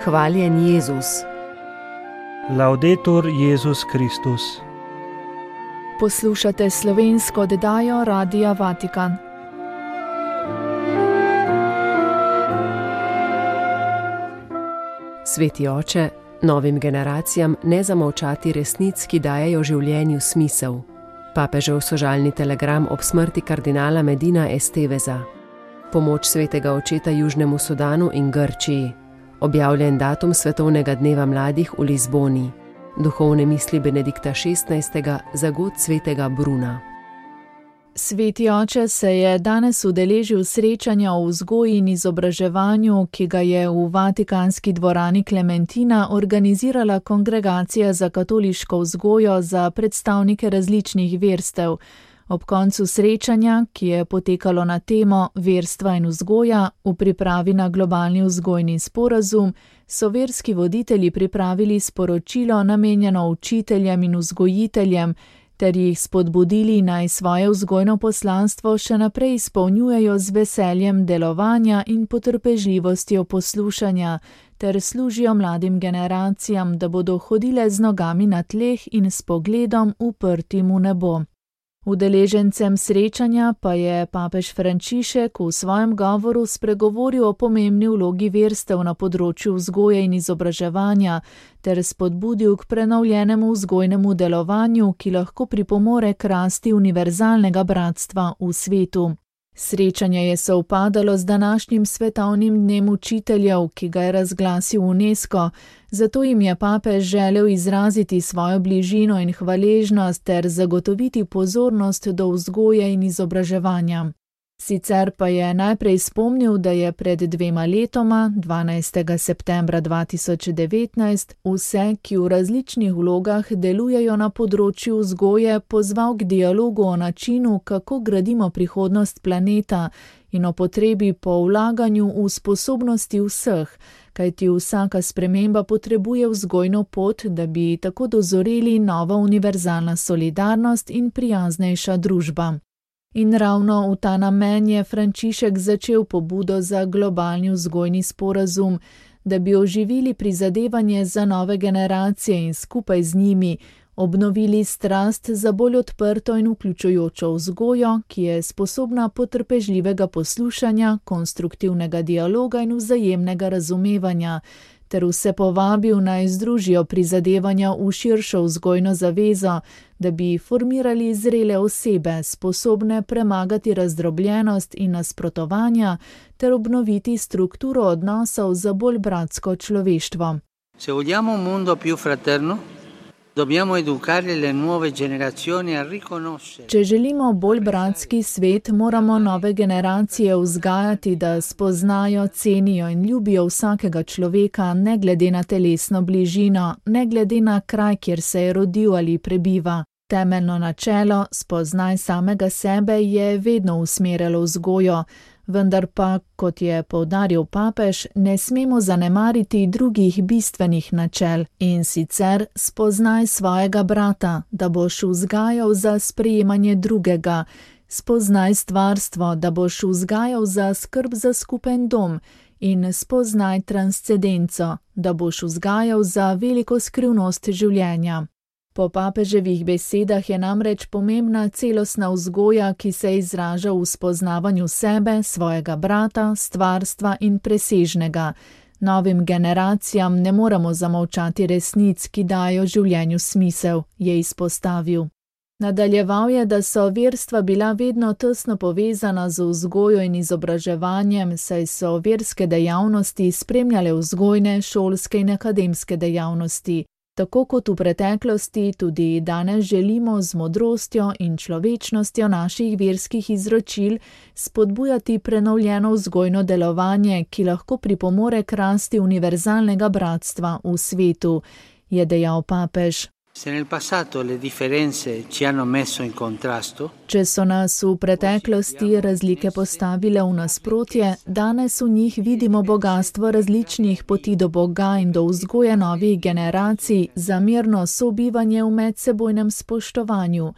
Hvaljen Jezus. Laudetur Jezus Kristus. Poslušate slovensko oddajo Radia Vatikan. Sveti oče, novim generacijam ne zamolčati resnic, ki dajejo življenju smisel. Papežev sožalni telegram ob smrti kardinala Medina Esteveza. Pomoč svetega očeta Južnemu Sudanu in Grčiji. Objavljen datum Svetovnega dneva mladih v Lizboni. Duhovne misli Benedikta XVI. Za god svetega Bruna. Sveti oče se je danes udeležil srečanja o vzgoji in izobraževanju, ki ga je v Vatikanski dvorani Klementina organizirala Kongregacija za katoliško vzgojo za predstavnike različnih verstev. Ob koncu srečanja, ki je potekalo na temo verstva in vzgoja v pripravi na globalni vzgojni sporazum, so verski voditelji pripravili sporočilo namenjeno učiteljem in vzgojiteljem, ter jih spodbudili naj svoje vzgojno poslanstvo še naprej izpolnjujejo z veseljem delovanja in potrpežljivostjo poslušanja, ter služijo mladim generacijam, da bodo hodile z nogami na tleh in s pogledom uprtim v nebo. Udeležencem srečanja pa je papež Frančišek v svojem govoru spregovoril o pomembni vlogi verstev na področju vzgoje in izobraževanja ter spodbudil k prenovljenemu vzgojnemu delovanju, ki lahko pripomore k rasti univerzalnega bratstva v svetu. Srečanje je sovpadalo z današnjim svetovnim dnem učiteljev, ki ga je razglasil UNESCO, zato jim je papež želel izraziti svojo bližino in hvaležnost ter zagotoviti pozornost do vzgoje in izobraževanja. Sicer pa je najprej spomnil, da je pred 2 letoma, 12. septembra 2019, vse, ki v različnih vlogah delujejo na področju vzgoje, pozval k dialogu o načinu, kako gradimo prihodnost planeta in o potrebi po vlaganju v sposobnosti vseh, kajti vsaka sprememba potrebuje vzgojno pot, da bi tako dozoreli nova univerzalna solidarnost in prijaznejša družba. In ravno v ta namen je Frančišek začel pobudo za globalni vzgojni sporazum, da bi oživili prizadevanje za nove generacije in skupaj z njimi obnovili strast za bolj odprto in vključujočo vzgojo, ki je sposobna potrpežljivega poslušanja, konstruktivnega dialoga in vzajemnega razumevanja, ter vse povabil naj združijo prizadevanja v širšo vzgojno zavezo, da bi formirali zrele osebe, sposobne premagati razdrobljenost in nasprotovanja, ter obnoviti strukturo odnosov za bolj bratsko človeštvo. Se vogliamo un mondo più fraterno, dobbiamo educare le nuove generazioni a riconoscere. Če želimo bolj bratski svet, moramo nove generacije vzgajati, da spoznajo, cenijo in ljubijo vsakega človeka, ne glede na telesno bližino, ne glede na kraj, kjer se je rodil ali prebiva. Temeljno načelo, spoznaj samega sebe, je vedno usmerjalo vzgojo, vendar pa, kot je poudaril papež, ne smemo zanemariti drugih bistvenih načel, in sicer spoznaj svojega brata, da boš vzgajal za sprejemanje drugega, spoznaj stvarstvo, da boš vzgajal za skrb za skupen dom, in spoznaj transcendenco, da boš vzgajal za veliko skrivnost življenja. Po papeževih besedah je namreč pomembna celostna vzgoja, ki se izraža v spoznavanju sebe, svojega brata, stvarstva in presežnega. Novim generacijam ne moremo zamolčati resnic, ki dajo življenju smisel, je izpostavil. Nadaljeval je, da so verstva bila vedno tesno povezana z vzgojo in izobraževanjem, saj so verske dejavnosti spremljale vzgojne, šolske in akademske dejavnosti. Tako kot v preteklosti, tudi danes želimo z modrostjo in človečnostjo naših verskih izročil spodbujati prenovljeno vzgojno delovanje, ki lahko pripomore k rasti univerzalnega bratstva v svetu, je dejal papež. Se nel passato le differenze ci hanno messo in contrasto, Če so nas v preteklosti razlike postavile v nasprotje, danes v njih vidimo bogastvo različnih poti do Boga in do vzgoje novih generacij za mirno sobivanje v medsebojnem spoštovanju.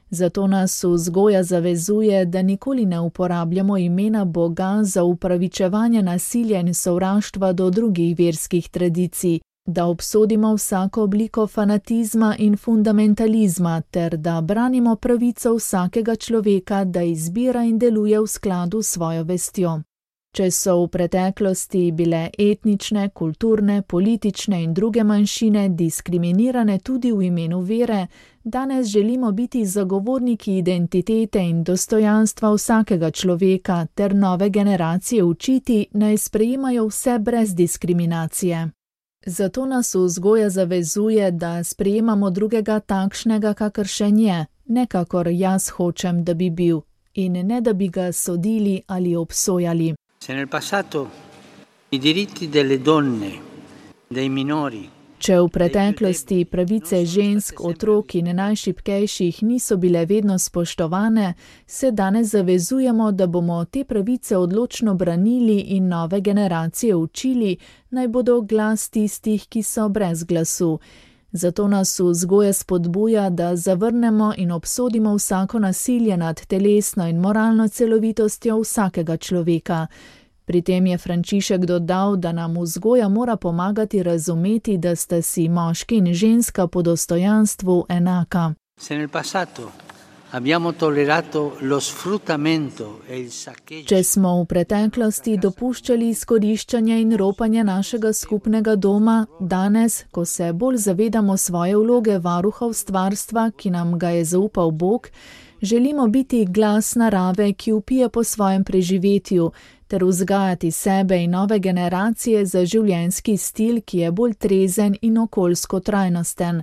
Zato nas vzgoja zavezuje, da nikoli ne uporabljamo imena Boga za upravičevanje nasilja in sovraštva do drugih verskih tradicij, da obsodimo vsako obliko fanatizma in fundamentalizma ter da branimo pravico vsakega človeka, da izbira in deluje v skladu s svojo vestjo. Če so v preteklosti bile etnične, kulturne, politične in druge manjšine diskriminirane tudi v imenu vere, danes želimo biti zagovorniki identitete in dostojanstva vsakega človeka ter nove generacije učiti, naj sprejemajo vse brez diskriminacije. Zato nas vzgoja zavezuje, da sprejemamo drugega takšnega, kakršen je, ne kakor jaz hočem, da bi bil, in ne da bi ga sodili ali obsojali. Se nel passato i diritti delle donne, dei minori, Če v preteklosti pravice žensk, otrok in najšibkejših niso bile vedno spoštovane, se danes zavezujemo, da bomo te pravice odločno branili in nove generacije učili, naj bodo glas tistih, ki so brez glasu. Zato nas vzgoja spodbuja, da zavrnemo in obsodimo vsako nasilje nad telesno in moralno celovitostjo vsakega človeka. Pri tem je Frančišek dodal, da nam vzgoja mora pomagati razumeti, da sta si moški in ženska po dostojanstvu enaka. Se nel passato abbiamo tollerato lo sfruttamento e il saccheggio. Če smo v preteklosti dopuščali izkoriščanje in ropanje našega skupnega doma, danes, ko se bolj zavedamo svoje vloge varuha stvarstva, ki nam ga je zaupal Bog, želimo biti glas narave, ki vpije po svojem preživetju, ter vzgajati sebe in nove generacije za življenjski stil, ki je bolj trezen in okoljsko trajnosten.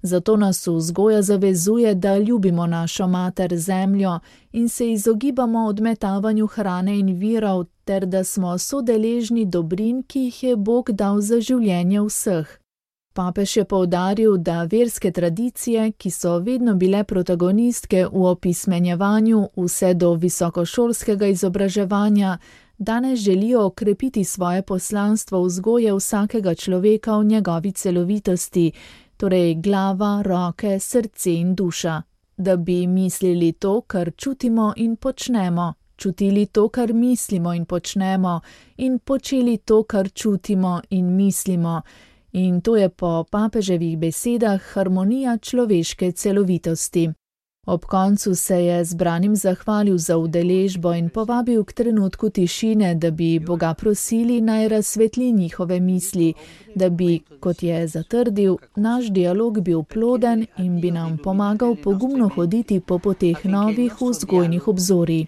Zato nas vzgoja zavezuje, da ljubimo našo mater zemljo in se izogibamo odmetavanju hrane in virov, ter da smo sodeležni dobrin, ki jih je Bog dal za življenje vseh. Papež je poudaril, da verske tradicije, ki so vedno bile protagonistke v opismenjevanju vse do visokošolskega izobraževanja, danes želijo okrepiti svoje poslanstvo vzgoje vsakega človeka v njegovi celovitosti, torej glava, roke, srce in duša, da bi mislili to, kar čutimo in počnemo, čutili to, kar mislimo in počnemo, in počeli to, kar čutimo in mislimo. In to je po papeževih besedah harmonija človeške celovitosti. Ob koncu se je zbranim zahvalil za udeležbo in povabil k trenutku tišine, da bi Boga prosili, naj razsvetli njihove misli, da bi, kot je zatrdil, naš dialog bil ploden in bi nam pomagal pogumno hoditi po poteh novih vzgojnih obzorij.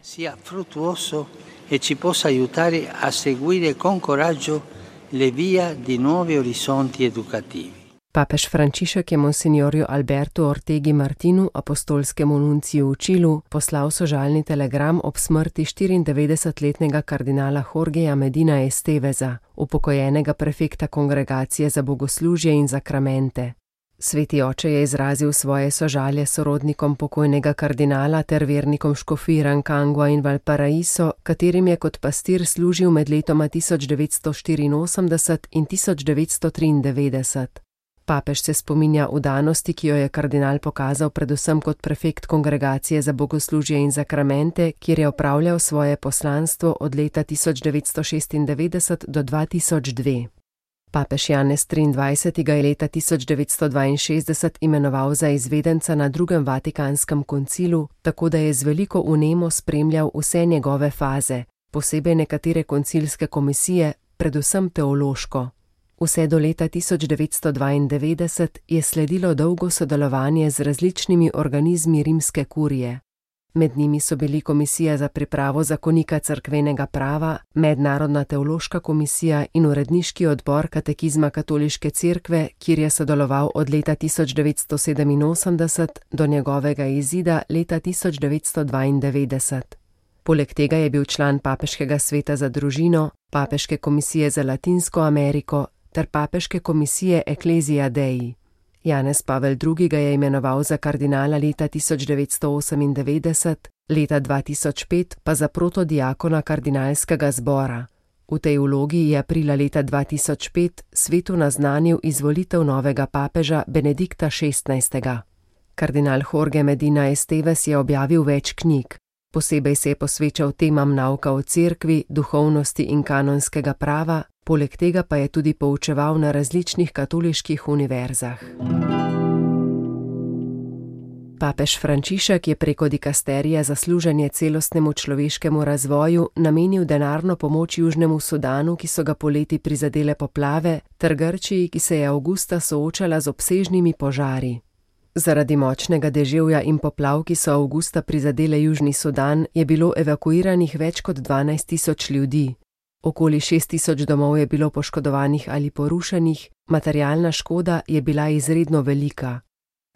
E ci possa aiutare a seguire con coraggio le vie di nuovi orizzonti educativi. Papež Frančišek je monsignorju Albertu Ortegi Martinu, apostolskemu nunciju v Čilu, poslal sožalni telegram ob smrti 94-letnega kardinala Jorgeja Medina Esteveza, upokojenega prefekta Kongregacije za bogoslužje in zakramente. Sveti oče je izrazil svoje sožalje sorodnikom pokojnega kardinala ter vernikom škofij Rancagua in Valparaiso, katerim je kot pastir služil med letoma 1984 in 1993. Papež se spominja vdanosti, ki jo je kardinal pokazal predvsem kot prefekt Kongregacije za bogoslužje in zakramente, kjer je opravljal svoje poslanstvo od leta 1996 do 2002. Papež Janez XXIII. Ga je leta 1962 imenoval za izvedenca na drugem Vatikanskem koncilu, tako da je z veliko vnemo spremljal vse njegove faze, posebej nekatere koncilske komisije, predvsem teološko. Vse do leta 1992 je sledilo dolgo sodelovanje z različnimi organizmi rimske kurije. Med njimi so bili Komisija za pripravo zakonika cerkvenega prava, Mednarodna teološka komisija in uredniški odbor Katekizma katoliške cerkve, kjer je sodeloval od leta 1987 do njegovega izida leta 1992. Poleg tega je bil član Papeškega sveta za družino, Papeške komisije za Latinsko Ameriko ter Papeške komisije Ecclesia Dei. Janez Pavel II. Ga je imenoval za kardinala leta 1998, leta 2005 pa za protodiakona kardinalskega zbora. V tej vlogi je aprila leta 2005 svetu naznanil izvolitev novega papeža Benedikta XVI. Kardinal Jorge Medina Esteves je objavil več knjig. Posebej se je posvečal temam nauka o cerkvi, duhovnosti in kanonskega prava, poleg tega pa je tudi poučeval na različnih katoliških univerzah. Papež Frančišek je preko dikasterija za služenje celostnemu človeškemu razvoju namenil denarno pomoč Južnemu Sudanu, ki so ga poleti prizadele poplave, ter Grčiji, ki se je avgusta soočala z obsežnimi požari. Zaradi močnega deževja in poplav, ki so avgusta prizadele Južni Sudan, je bilo evakuiranih več kot 12.000 ljudi. Okoli 6.000 domov je bilo poškodovanih ali porušenih, materialna škoda je bila izredno velika.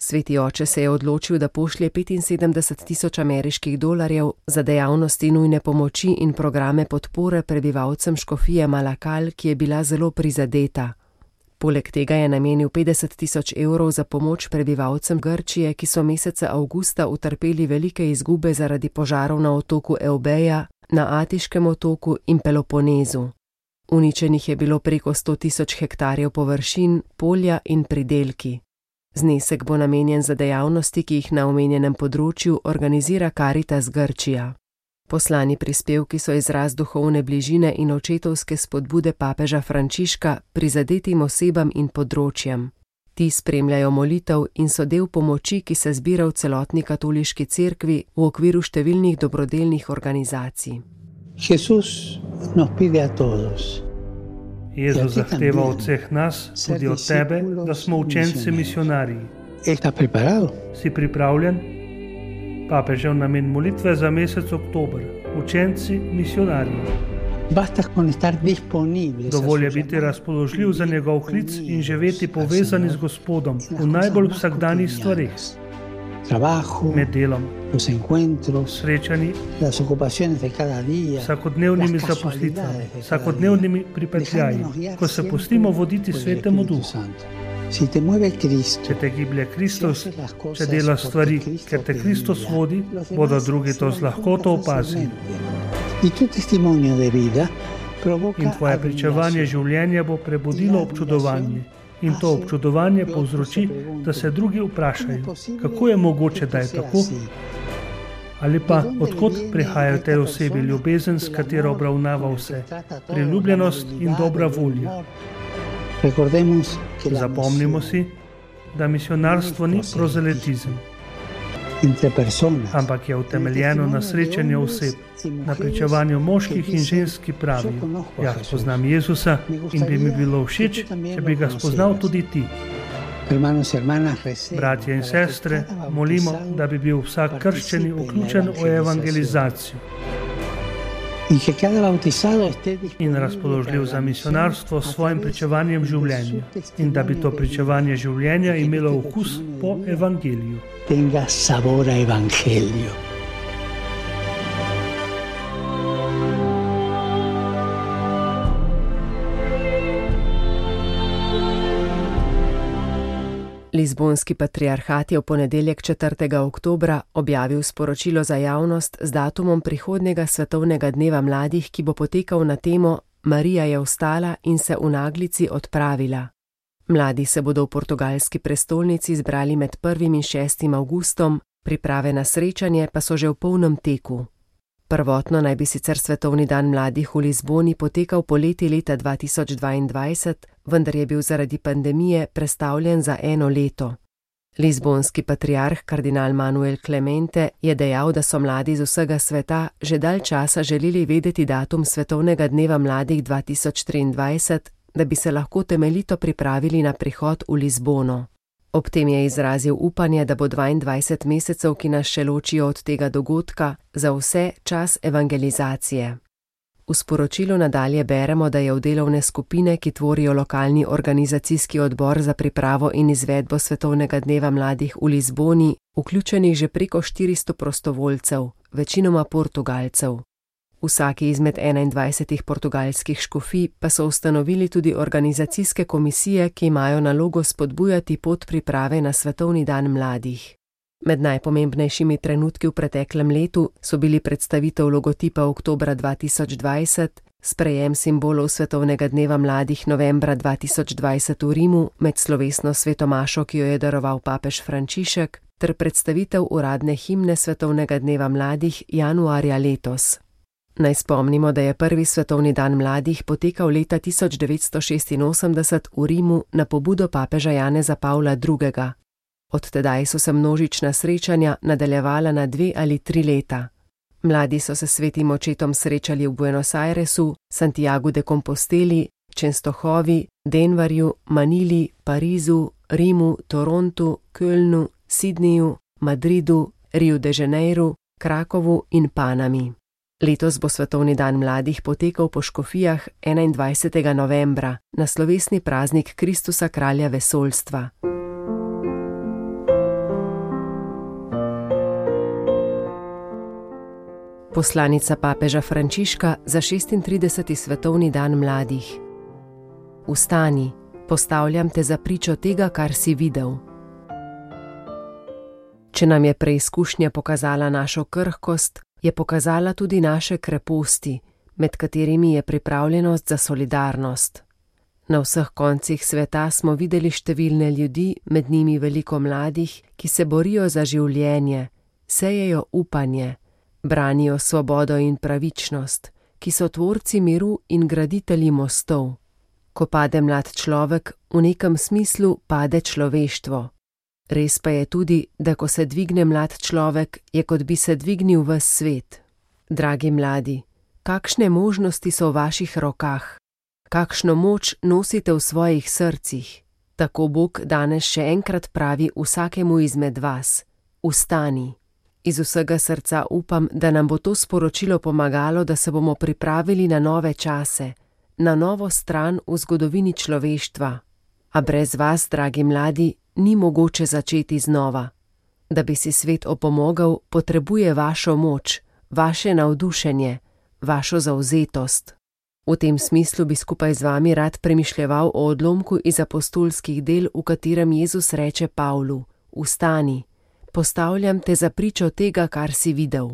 Sveti oče se je odločil, da pošlje 75.000 ameriških dolarjev za dejavnosti nujne pomoči in programe podpore prebivalcem škofije Malakal, ki je bila zelo prizadeta. Poleg tega je namenil 50.000 evrov za pomoč prebivalcem Grčije, ki so meseca avgusta utrpeli velike izgube zaradi požarov na otoku Eubeja, na Atiškem otoku in Peloponezu. Uničenih je bilo preko 100.000 hektarjev površin, polja in pridelki. Znesek bo namenjen za dejavnosti, ki jih na omenjenem področju organizira Caritas Grčija. Poslani prispevki so izraz duhovne bližine in očetovske spodbude papeža Frančiška prizadetim osebam in področjem. Ti spremljajo molitev in so del pomoči, ki se zbira v celotni katoliški cerkvi v okviru številnih dobrodelnih organizacij. Jezus zahteva od vseh nas, tudi od tebe, da smo učenci misionarji. Si pripravljen? Papežev namen molitve za mesec oktober. Učenci misionarji. Dovolj je biti razpoložljiv za njegov klic in živeti povezani z Gospodom v najbolj vsakdanjih stvareh. Med delom, srečanji, vsakodnevnimi zaposlitvami, vsakodnevnimi pripetljaji, ko se pustimo voditi Svetemu Duhu. Če te giblje Kristus, če dela stvari, ker te Kristus vodi, bodo drugi to z lahkoto opazili. In tvoje pričevanje življenja bo prebudilo občudovanje. In to občudovanje povzroči, da se drugi vprašajo, kako je mogoče, da je tako? Ali pa, odkot prihajajo tej osebi ljubezen, s katero obravnava vse, priljubljenost in dobra volja. Zapomnimo si, da misionarstvo ni prozelitizem, ampak je utemeljeno na srečanju oseb, na pričevanju moških in žensk, ki pravijo: jaz poznam Jezusa in bi mi bilo všeč, če bi ga spoznal tudi ti. Bratje in sestre, molimo, da bi bil vsak krščeni vključen v evangelizacijo in razpoložljiv za misionarstvo s svojim pričevanjem življenja in da bi to pričevanje življenja imelo okus po evangeliju. Lizbonski patriarhat je v ponedeljek 4. oktobra objavil sporočilo za javnost z datumom prihodnjega svetovnega dneva mladih, ki bo potekal na temo Marija je vstala in se v naglici odpravila. Mladi se bodo v portugalski prestolnici zbrali med 1. in 6. avgustom, priprave na srečanje pa so že v polnem teku. Prvotno naj bi sicer svetovni dan mladih v Lizboni potekal poleti leta 2022, vendar je bil zaradi pandemije prestavljen za 1 leto. Lizbonski patriarh kardinal Manuel Clemente je dejal, da so mladi z vsega sveta že dalj časa želeli vedeti datum svetovnega dneva mladih 2023, da bi se lahko temeljito pripravili na prihod v Lizbono. Ob tem je izrazil upanje, da bo 22 mesecev, ki nas še ločijo od tega dogodka, za vse čas evangelizacije. V sporočilu nadalje beremo, da je v delovne skupine, ki tvorijo lokalni organizacijski odbor za pripravo in izvedbo svetovnega dneva mladih v Lizboni, vključenih že preko 400 prostovoljcev, večinoma Portugalcev. Vsaki izmed 21 portugalskih škofij pa so ustanovili tudi organizacijske komisije, ki imajo nalogo spodbujati pot priprave na svetovni dan mladih. Med najpomembnejšimi trenutki v preteklem letu so bili predstavitev logotipa oktobra 2020, Sprejem simbolov svetovnega dneva mladih novembra 2020 v Rimu med slovesno svetomašo, ki jo je daroval papež Frančišek, ter predstavitev uradne himne svetovnega dneva mladih januarja letos. Naj spomnimo, da je prvi svetovni dan mladih potekal leta 1986 v Rimu na pobudo papeža Janeza Pavla II. Od tedaj so se množična srečanja nadaljevala na 2 ali 3 leta. Mladi so se s svetim očetom srečali v Buenos Airesu, Santiagu de Composteli, Čenstohovi, Denverju, Manili, Parizu, Rimu, Torontu, Kölnu, Sydneyju, Madridu, Rio de Janeiru, Krakovu in Panami. Letos bo svetovni dan mladih potekal po škofijah 21. novembra na slovesni praznik Kristusa kralja vesoljstva. Poslanica papeža Frančiška za 36. svetovni dan mladih. Vstani, postavljam te za pričo tega, kar si videl. Če nam je preizkušnja pokazala našo krhkost, je pokazala tudi naše kreposti, med katerimi je pripravljenost za solidarnost. Na vseh koncih sveta smo videli številne ljudi, med njimi veliko mladih, ki se borijo za življenje, sejejo upanje, branijo svobodo in pravičnost, ki so tvorci miru in graditelji mostov. Ko pade mlad človek, v nekem smislu pade človeštvo. Res pa je tudi, da ko se dvigne mlad človek, je kot bi se dvignil ves svet. Dragi mladi, kakšne možnosti so v vaših rokah? Kakšno moč nosite v svojih srcih? Tako Bog danes še enkrat pravi vsakemu izmed vas: vstani. Iz vsega srca upam, da nam bo to sporočilo pomagalo, da se bomo pripravili na nove čase, na novo stran v zgodovini človeštva. A brez vas, dragi mladi, ni mogoče začeti znova. Da bi si svet opomogel, potrebuje vašo moč, vaše navdušenje, vašo zavzetost. V tem smislu bi skupaj z vami rad premišljeval o odlomku iz apostolskih del, v katerem Jezus reče Pavlu: vstani, postavljam te za pričo tega, kar si videl.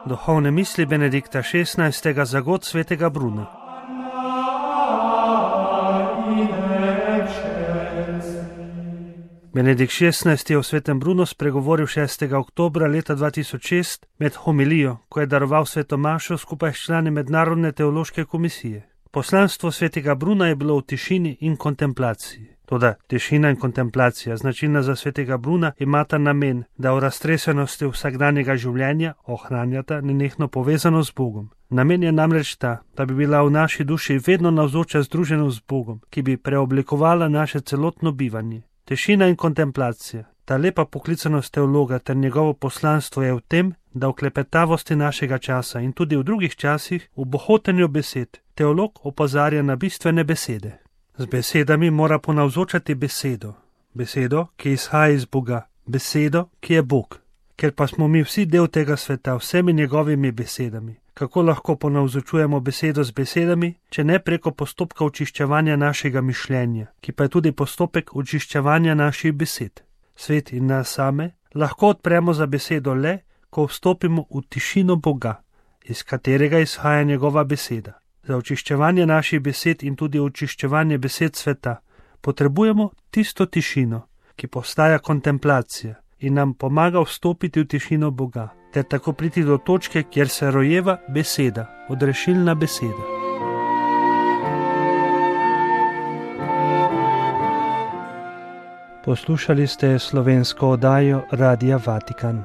Duhovne misli Benedikta XVI. Za god svetega Bruna. Benedikt XVI. Je o svetem Brunu spregovoril 6. oktobra leta 2006 med homilijo, ko je daroval svetomašo skupaj s člani Mednarodne teološke komisije. Poslanstvo svetega Bruna je bilo v tišini in kontemplaciji. Toda tišina in kontemplacija, značilna za svetega Bruna, imata namen, da v raztresenosti vsakdanjega življenja ohranjata nenehno povezano z Bogom. Namen je namreč ta, da bi bila v naši duši vedno navzoča združenost z Bogom, ki bi preoblikovala naše celotno bivanje. Tišina in kontemplacija, ta lepa poklicanost teologa ter njegovo poslanstvo je v tem, da v klepetavosti našega časa in tudi v drugih časih, v bohotenju besed, teolog opozarja na bistvene besede. Z besedami mora ponavzočati besedo, besedo, ki izhaja iz Boga, besedo, ki je Bog. Ker pa smo mi vsi del tega sveta vsemi njegovimi besedami, kako lahko ponavzočujemo besedo z besedami, če ne preko postopka očiščevanja našega mišljenja, ki pa je tudi postopek očiščevanja naših besed. Svet in nas same lahko odpremo za besedo le, ko vstopimo v tišino Boga, iz katerega izhaja njegova beseda. Za očiščevanje naših besed in tudi očiščevanje besed sveta potrebujemo tisto tišino, ki postaja kontemplacija in nam pomaga vstopiti v tišino Boga, ter tako priti do točke, kjer se rojeva beseda, odrešilna beseda. Poslušali ste slovensko oddajo Radia Vatikan.